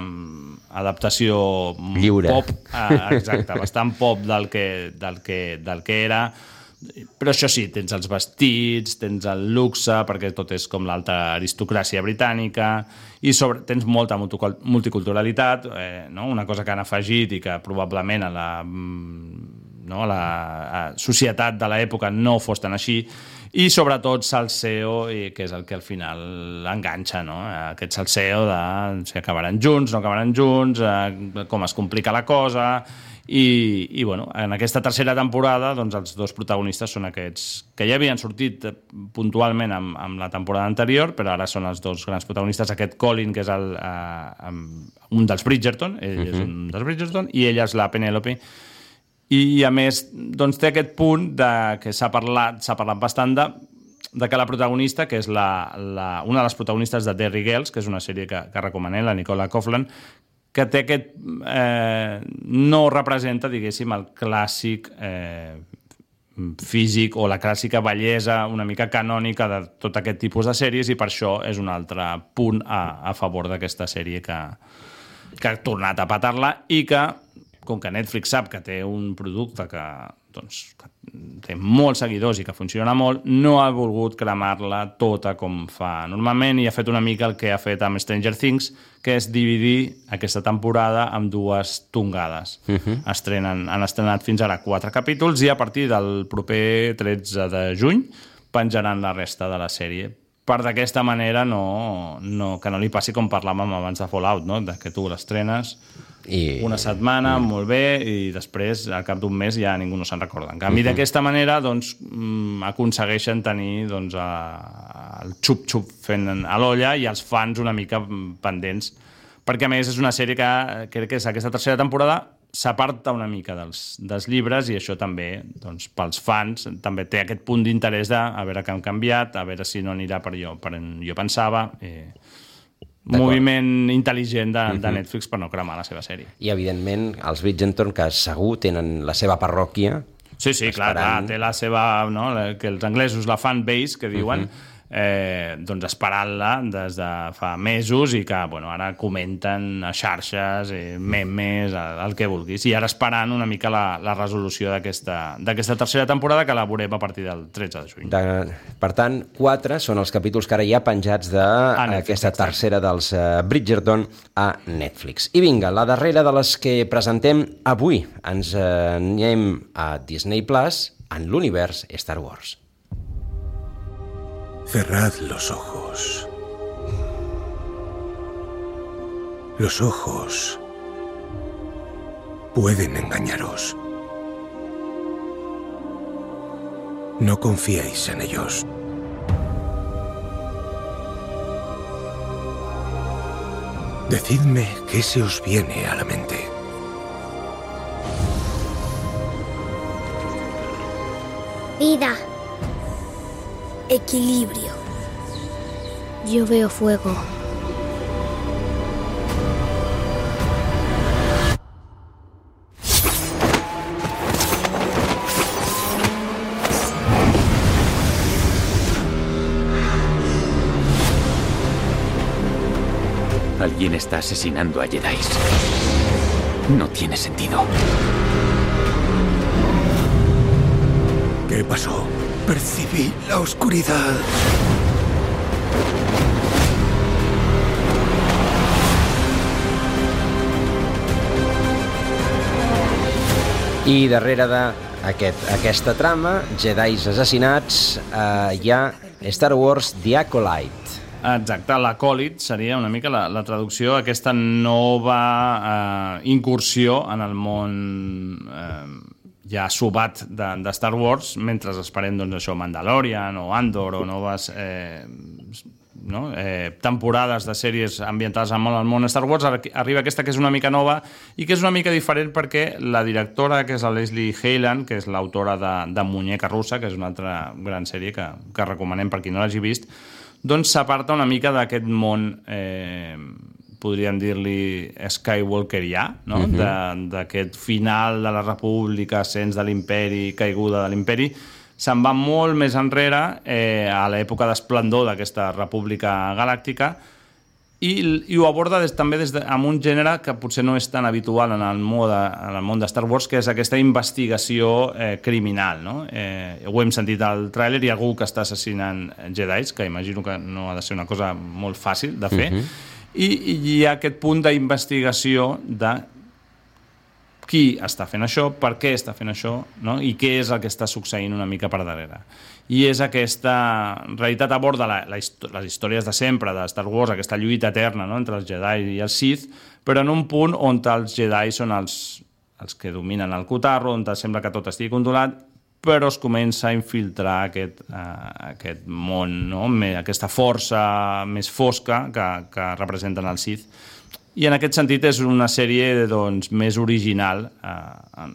[SPEAKER 2] adaptació
[SPEAKER 1] lliure.
[SPEAKER 2] Pop, eh, exacte, bastant pop del que, del que, del que era. Però això sí, tens els vestits, tens el luxe, perquè tot és com l'alta aristocràcia britànica, i sobre, tens molta multiculturalitat, eh, no? Una cosa que han afegit i que probablement a la, no, a la a societat de l'època no fos tan així, i sobretot salseo, i que és el que al final enganxa, no? Aquest salseo de si acabaran junts, no acabaran junts, eh, com es complica la cosa. I, i bueno, en aquesta tercera temporada doncs, els dos protagonistes són aquests que ja havien sortit puntualment amb, amb la temporada anterior, però ara són els dos grans protagonistes, aquest Colin, que és el, uh, un dels Bridgerton, ell uh-huh. és un dels Bridgerton, i ella és la Penelope, i a més doncs, té aquest punt de, que s'ha parlat, s'ha parlat bastant de, de que la protagonista, que és la, la, una de les protagonistes de Derry Girls, que és una sèrie que, que recomanem, la Nicola Coughlan, que té aquest... Eh, no representa, diguéssim, el clàssic eh, físic o la clàssica bellesa una mica canònica de tot aquest tipus de sèries, i per això és un altre punt a, a favor d'aquesta sèrie que, que ha tornat a patar-la i que, com que Netflix sap que té un producte que, doncs, que té molts seguidors i que funciona molt, no ha volgut cremar-la tota com fa normalment i ha fet una mica el que ha fet amb Stranger Things, que és dividir aquesta temporada amb dues tongades. Uh-huh. Estrenen, han estrenat fins ara quatre capítols i a partir del proper tretze de juny penjaran la resta de la sèrie. Per d'aquesta manera no, no, que no li passi com parlàvem abans de Fallout, no? De que tu l'estrenes I... una setmana, mm. molt bé, i després, al cap d'un mes, ja ningú no se'n recorda. En canvi, uh-huh. d'aquesta manera, doncs, aconsegueixen tenir doncs, a, el xup-xup fent a l'olla i els fans una mica pendents. Perquè, a més, és una sèrie que crec que és aquesta tercera temporada s'aparta una mica dels, dels llibres i això també, doncs, pels fans, també té aquest punt d'interès de a veure què han canviat, a veure si no anirà per jo, per on jo pensava. Eh, moviment intel·ligent de, de Netflix per no cremar la seva sèrie.
[SPEAKER 1] I, evidentment, els Bridgerton, que segur tenen la seva parròquia.
[SPEAKER 2] Sí, sí, clar, clar, té la seva... No, que els anglesos, la fan base, que diuen... Uh-huh. Eh, doncs esperant-la des de fa mesos i que bueno, ara comenten a xarxes, eh, memes, el que vulguis, i ara esperant una mica la, la resolució d'aquesta tercera temporada que la veurem a partir del tretze de juny.
[SPEAKER 1] De, per tant, quatre són els capítols que ara hi ha penjats d'aquesta tercera dels uh, Bridgerton a Netflix. I vinga, la darrera de les que presentem avui. Ens uh, anem a Disney Plus en l'univers Star Wars.
[SPEAKER 15] Cerrad los ojos. Los ojos pueden engañaros. No confiéis en ellos. Decidme qué se os viene a la mente.
[SPEAKER 19] Vida. Equilibrio. Yo veo fuego.
[SPEAKER 21] Alguien está asesinando a Jedis. No tiene sentido.
[SPEAKER 15] ¿Qué pasó? Percibí la oscuridad.
[SPEAKER 1] I darrere d'aquesta trama, Jedis assassinats, eh, hi ha Star Wars The Acolyte.
[SPEAKER 2] Exacte, l'Acòlit seria una mica la, la traducció, aquesta nova eh, incursió en el món... Eh, ja subat de, de Star Wars, mentre esperem doncs, això, Mandalorian o Andor o noves eh, no? eh, temporades de sèries ambientades al món, al món Star Wars. Arriba aquesta que és una mica nova i que és una mica diferent perquè la directora, que és la Leslie Heyland, que és l'autora de, de Muñeca Russa, que és una altra gran sèrie que, que recomanem per qui no l'hagi vist, doncs s'aparta una mica d'aquest món... Eh, podríem dir-li Skywalkerià, no? Uh-huh. D'aquest final de la República, ascens de l'imperi, caiguda de l'imperi, se'n va molt més enrere, eh, a l'època d'esplendor d'aquesta República Galàctica, i, i ho aborda des, també des de, amb un gènere que potser no és tan habitual en el món de, en el món de Star Wars, que és aquesta investigació eh, criminal. No? Eh, ho hem sentit al tràiler, hi ha algú que està assassinant Jedis, que imagino que no ha de ser una cosa molt fàcil de fer, uh-huh. I hi ha aquest punt d'investigació de qui està fent això, per què està fent això, no? I què és el que està succeint una mica per darrere. I és aquesta... En realitat aborda la, la, les històries de sempre de Star Wars, aquesta lluita eterna, no? Entre els Jedi i els Sith, però en un punt on els Jedi són els, els que dominen el cotarro, on sembla que tot estigui controlat, però es comença a infiltrar aquest, uh, aquest món, no? Aquesta força més fosca que, que representen els Sith. I en aquest sentit és una sèrie doncs, més original, uh,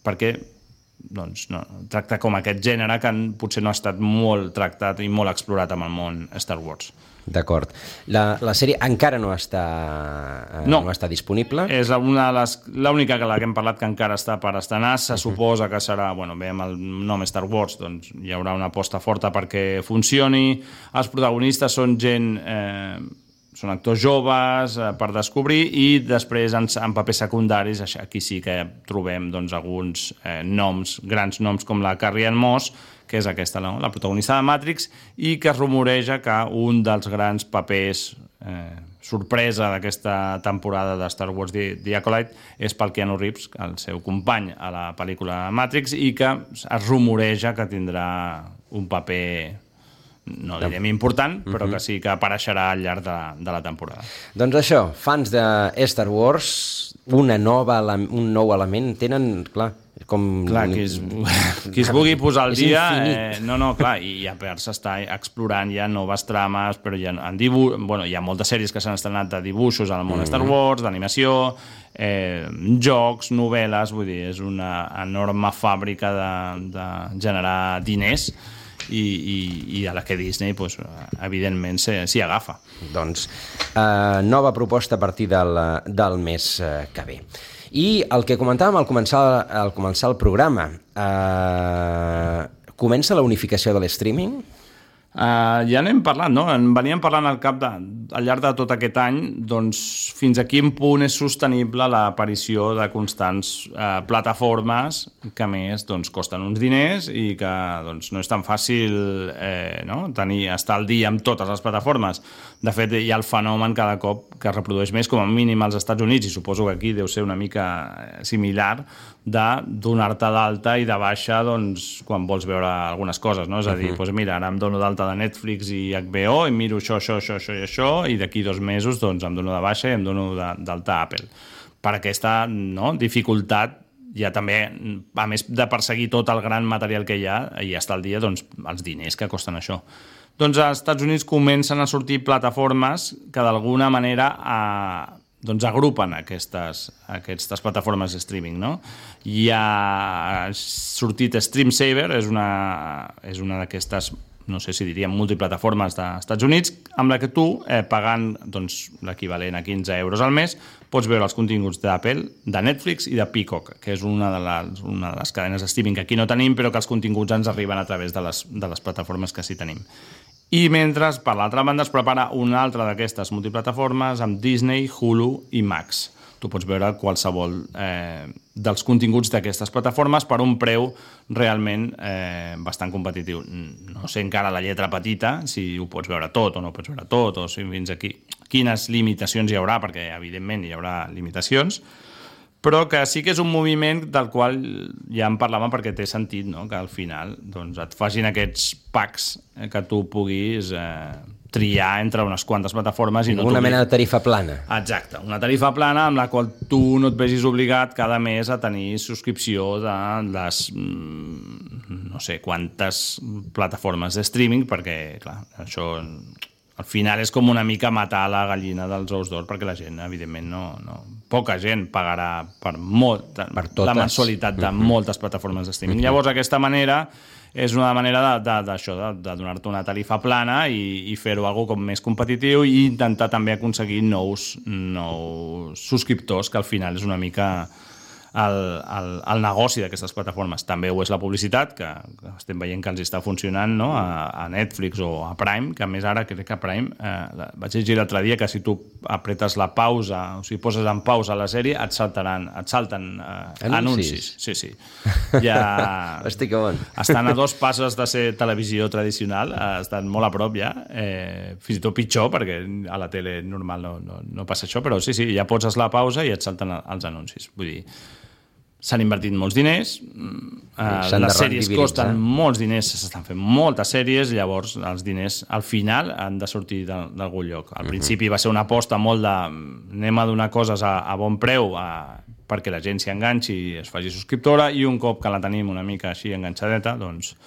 [SPEAKER 2] perquè doncs, no, tracta com aquest gènere que potser no ha estat molt tractat i molt explorat amb el món Star Wars.
[SPEAKER 1] D'acord. La, la sèrie encara no està, eh, no. no està disponible?
[SPEAKER 2] És una de les, l'única que la que hem parlat que encara està per estrenar. Se uh-huh. suposa que serà, bueno, bé, amb el nom Star Wars, doncs hi haurà una aposta forta perquè funcioni. Els protagonistes són gent... Eh, són actors joves eh, per descobrir i després en, en papers secundaris aquí sí que trobem doncs, alguns eh, noms, grans noms com la Carrie-Anne Moss, que és aquesta, no? La protagonista de Matrix, i que es rumoreja que un dels grans papers eh, sorpresa d'aquesta temporada de Star Wars The, The Acolyte és pel Keanu Reeves, el seu company a la pel·lícula Matrix, i que es rumoreja que tindrà un paper... no direm important, però que sí que apareixerà al llarg de, de la temporada.
[SPEAKER 1] Doncs això, fans de Star Wars, una nova, un nou element, tenen, clar, Com...
[SPEAKER 2] Clar, qui es, qui es vulgui posar al dia...
[SPEAKER 1] Eh,
[SPEAKER 2] no, no, clar, i a part s'està explorant ja noves trames, però ja en dibu... bueno, hi ha moltes sèries que s'han estrenat de dibuixos al món mm. Star Wars, d'animació, eh, jocs, novel·les, vull dir, és una enorme fàbrica de, de generar diners i, i, i a la que Disney, pues, evidentment, s'hi agafa.
[SPEAKER 1] Doncs, eh, nova proposta a partir del, del mes eh, que ve. I el que comentàvem al començar, al començar el programa, eh, comença la unificació de l'streaming?
[SPEAKER 2] Uh, ja n'hem parlat, no? En veníem parlant al cap de, al llarg de tot aquest any, doncs fins a quin punt és sostenible l'aparició de constants uh, plataformes que a més doncs, costen uns diners i que doncs, no és tan fàcil eh, no? tenir, estar al dia amb totes les plataformes. De fet, hi ha el fenomen cada cop que es reprodueix més, com a mínim als Estats Units, i suposo que aquí deu ser una mica similar, de donar-te d'alta i de baixa doncs, quan vols veure algunes coses, no? És a dir, uh-huh. doncs mira, ara em dono d'alta de Netflix i H B O i miro això, això, això, això i això, i d'aquí dos mesos doncs, em dono de baixa i em dono d'alta a Apple. Per aquesta no, dificultat, ja també, a més de perseguir tot el gran material que hi ha, i està al dia doncs, els diners que costen això. Doncs als Estats Units comencen a sortir plataformes que d'alguna manera a, doncs agrupen aquestes, aquestes plataformes de streaming, no? Hi ha sortit StreamSaver, és una, és una d'aquestes, no sé si diríem, multiplataformes dels Estats Units, amb la que tu, eh, pagant doncs, l'equivalent a quinze euros al mes, pots veure els continguts d'Apple, de Netflix i de Peacock, que és una de les, una de les cadenes de streaming que aquí no tenim, però que els continguts ens arriben a través de les, de les plataformes que sí tenim. I mentre, per l'altra banda, es prepara una altra d'aquestes multiplataformes amb Disney, Hulu i Max. Tu pots veure qualsevol eh, dels continguts d'aquestes plataformes per un preu realment eh, bastant competitiu. No sé encara la lletra petita, si ho pots veure tot o no ho pots veure tot, o si fins aquí quines limitacions hi haurà, perquè evidentment hi haurà limitacions, però que sí que és un moviment del qual ja en parlàvem perquè té sentit, no? Que al final doncs, et facin aquests packs eh, que tu puguis eh, triar entre unes quantes plataformes. I no
[SPEAKER 1] una mena de tarifa plana.
[SPEAKER 2] Exacte, una tarifa plana amb la qual tu no et vegis obligat cada mes a tenir subscripció de les no sé quantes plataformes de streaming, perquè clar, això al final és com una mica matar la gallina dels ous d'or, perquè la gent, evidentment, no, no, poca gent pagarà per, molt, per la mensualitat de uh-huh. moltes plataformes de streaming. Uh-huh. Llavors, aquesta manera és una manera d'això, de, de, de, de donar-te una tarifa plana i, i fer-ho algo com més competitiu i intentar també aconseguir nous, nous subscriptors, que al final és una mica el, el, el negoci d'aquestes plataformes. També ho és la publicitat, que, que estem veient que els està funcionant, no? a, a Netflix o a Prime, que a més ara crec que a Prime, eh, vaig llegir l'altre dia que si tu apretes la pausa, o si poses en pausa la sèrie, et saltaran, et salten eh, anuncis. Sí, sí. Ja
[SPEAKER 1] Hosti, que bon.
[SPEAKER 2] Estan a dos passos de ser televisió tradicional, eh, estan molt a prop ja, eh, fins i tot pitjor, perquè a la tele normal no, no, no passa això, però sí, sí, ja poses la pausa i et salten els anuncis. Vull dir, s'han invertit molts diners, eh, les sèries costen molts diners, s'estan fent moltes sèries, llavors els diners al final han de sortir d'algun lloc. Al uh-huh. principi va ser una aposta molt de anem a donar coses a, a bon preu a, perquè la gent s'hi enganxi i es faci subscriptora, i un cop que la tenim una mica així enganxadeta, doncs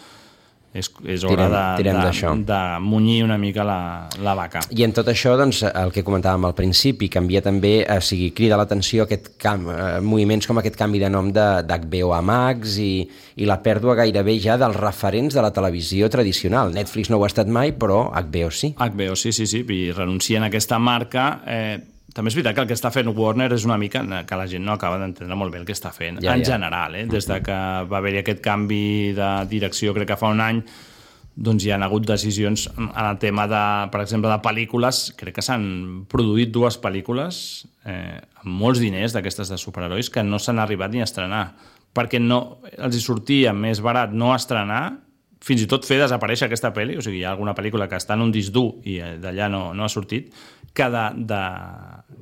[SPEAKER 2] és, és hora tirem, de, de, de munyir una mica la, la vaca.
[SPEAKER 1] I en tot això, doncs, el que comentàvem al principi, canvia també, o sigui, crida l'atenció aquest camp, eh, moviments com aquest canvi de nom d'H B O a Max i, i la pèrdua gairebé ja dels referents de la televisió tradicional. Netflix no ho ha estat mai, però H B O sí.
[SPEAKER 2] H B O sí, sí, sí, i renuncien a aquesta marca. Eh, també és veritat que el que està fent Warner és una mica que la gent no acaba d'entendre molt bé el que està fent, ja, en ja. general, eh? Des de que va haver-hi aquest canvi de direcció, crec que fa un any, doncs hi ha hagut decisions en el tema, de, per exemple, de pel·lícules. Crec que s'han produït dues pel·lícules eh, amb molts diners d'aquestes de superherois que no s'han arribat ni a estrenar, perquè no, els hi sortia més barat no estrenar, fins i tot fer desaparèixer aquesta pel·li, o sigui, hi ha alguna pel·lícula que està en un disc dur i d'allà no, no ha sortit, que, de, de,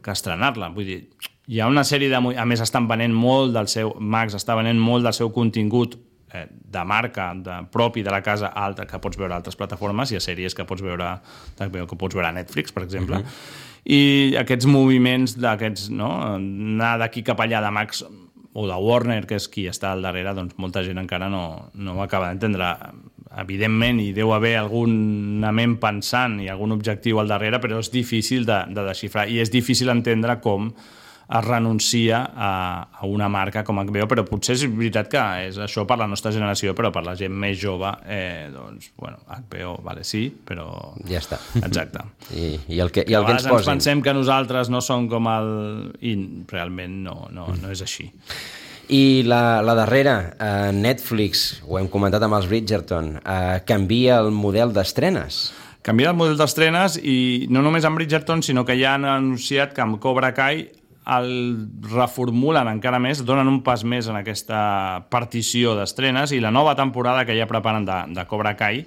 [SPEAKER 2] que estrenar-la. Vull dir, hi ha una sèrie de... A més, estan venent molt del seu... Max està venent molt del seu contingut eh, de marca, de, propi de la casa alta, que pots veure a altres plataformes, i a sèries que pots veure, que pots veure a Netflix, per exemple. Uh-huh. I aquests moviments d'aquests, no? Anar d'aquí cap allà de Max o de Warner, que és qui està al darrere, doncs molta gent encara no, no ho acaba d'entendre. Evidentment, hi deu haver alguna ment pensant i algun objectiu al darrere, però és difícil de, de desxifrar, i és difícil entendre com es renuncia a, a una marca com H B O, però potser és veritat que és això per la nostra generació, però per la gent més jove, eh, doncs, bueno, H B O, vale, sí, però...
[SPEAKER 1] Ja està.
[SPEAKER 2] Exacte.
[SPEAKER 1] I, i el que, i el que ens posin.
[SPEAKER 2] ens pensem que nosaltres no som com el... I realment no, no, no és així.
[SPEAKER 1] I la, la darrera, eh, Netflix, ho hem comentat amb els Bridgerton, eh, canvia el model d'estrenes.
[SPEAKER 2] Canvia el model d'estrenes i no només amb Bridgerton, sinó que ja han anunciat que amb Cobra Kai el reformulen encara més, donen un pas més en aquesta partició d'estrenes, i la nova temporada que ja preparen de, de Cobra Kai,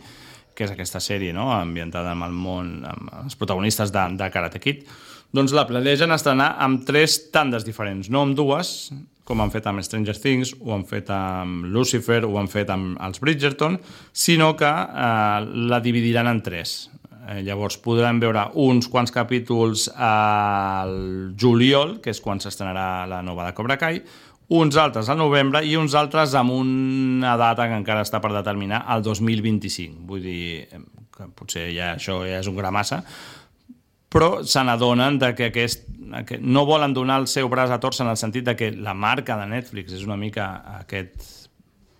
[SPEAKER 2] que és aquesta sèrie, no?, ambientada en el món, amb els protagonistes de, de Karate Kid, doncs la planegen estrenar amb tres tandes diferents, no amb dues, com han fet amb Stranger Things, ho han fet amb Lucifer, ho han fet amb els Bridgerton, sinó que eh, la dividiran en tres. Eh, llavors podran veure uns quants capítols al juliol, que és quan s'estrenarà la nova de Cobra Kai, uns altres al novembre i uns altres amb una data que encara està per determinar, el dos mil vint-i-cinc. Vull dir que potser ja això ja és un gra massa, però se n'adonen de que, aquest, que no volen donar el seu braç a torça, en el sentit de que la marca de Netflix és una mica aquest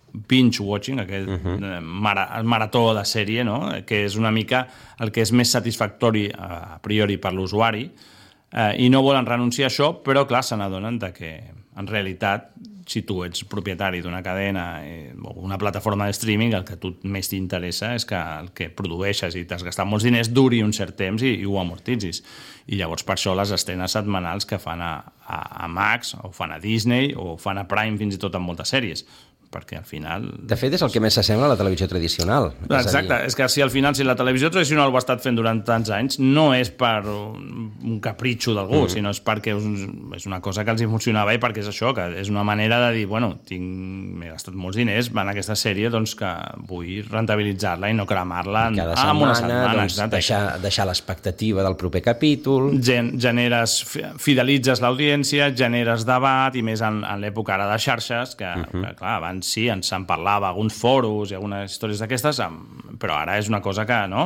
[SPEAKER 2] binge-watching, aquest uh-huh. mara, marató de sèrie, no?, que és una mica el que és més satisfactori a priori per l'usuari, eh, i no volen renunciar a això, però clar, se n'adonen de que en realitat, si tu ets propietari d'una cadena eh, o una plataforma de streaming, el que a tu més t'interessa és que el que produeixes i t'has gastat molts diners duri un cert temps i, i ho amortitzis. I llavors per això les estrenes setmanals que fan a, a, a Max, o fan a Disney, o fan a Prime fins i tot en moltes sèries, perquè al final...
[SPEAKER 1] De fet, és el que més s'assembla a la televisió tradicional.
[SPEAKER 2] Exacte, és, dir... és que si al final, si la televisió tradicional ho ha estat fent durant tants anys, no és per un capritxo d'algú, mm. sinó és perquè és una cosa que els funcionava i perquè és això, que és una manera de dir, bueno, tinc, m'he gastat molts diners en aquesta sèrie, doncs que vull rentabilitzar-la i no cremar-la en,
[SPEAKER 1] cada setmana, una setmana. Doncs, deixar, deixar l'expectativa del proper capítol.
[SPEAKER 2] Gen, generes, fidelitzes l'audiència, generes debat, i més en, en l'època ara de xarxes, que, mm-hmm. que clar, abans sí, ens en parlava alguns foros i algunes històries d'aquestes, però ara és una cosa que, no?,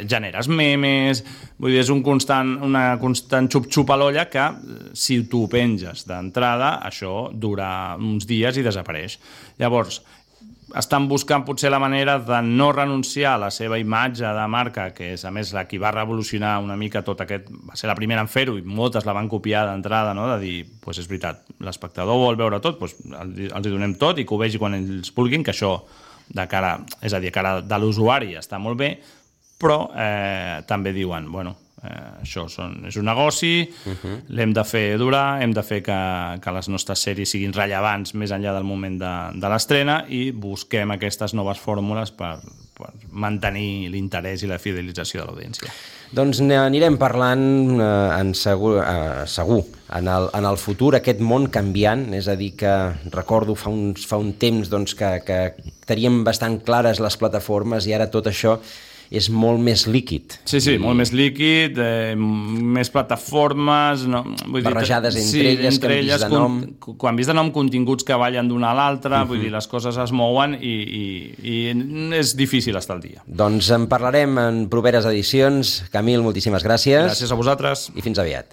[SPEAKER 2] generes memes, vull dir, és un constant, una constant xup-xup a l'olla que, si tu penges d'entrada, això dura uns dies i desapareix. Llavors, estan buscant potser la manera de no renunciar a la seva imatge de marca, que és, a més, la qui va revolucionar una mica tot aquest... Va ser la primera en fer-ho i moltes la van copiar d'entrada, no?, de dir, doncs pues és veritat, l'espectador vol veure tot, doncs els hi donem tot i que ho vegi quan ells vulguin, que això de cara, és a dir, cara de l'usuari està molt bé, però eh, també diuen, bueno, eh, això són, és un negoci, uh-huh. l'hem de fer durar, hem de fer que, que les nostres sèries siguin rellevants més enllà del moment de, de l'estrena, i busquem aquestes noves fórmules per, per mantenir l'interès i la fidelització de l'audiència.
[SPEAKER 1] Doncs anirem parlant eh, en segur, eh, segur en, el, en el futur, aquest món canviant, és a dir que recordo fa, uns, fa un temps doncs, que, que teníem bastant clares les plataformes i ara tot això és molt més líquid.
[SPEAKER 2] Sí, sí, I... molt més líquid, eh, més plataformes... No, vull
[SPEAKER 1] barrejades
[SPEAKER 2] dir,
[SPEAKER 1] entre sí, elles, entre canvis de nom...
[SPEAKER 2] Con, canvis de nom, continguts que ballen d'una a l'altra, uh-huh. vull dir, les coses es mouen i, i, i és difícil estar al dia.
[SPEAKER 1] Doncs en parlarem en properes edicions. Camil, moltíssimes gràcies.
[SPEAKER 2] Gràcies a vosaltres.
[SPEAKER 1] I fins aviat.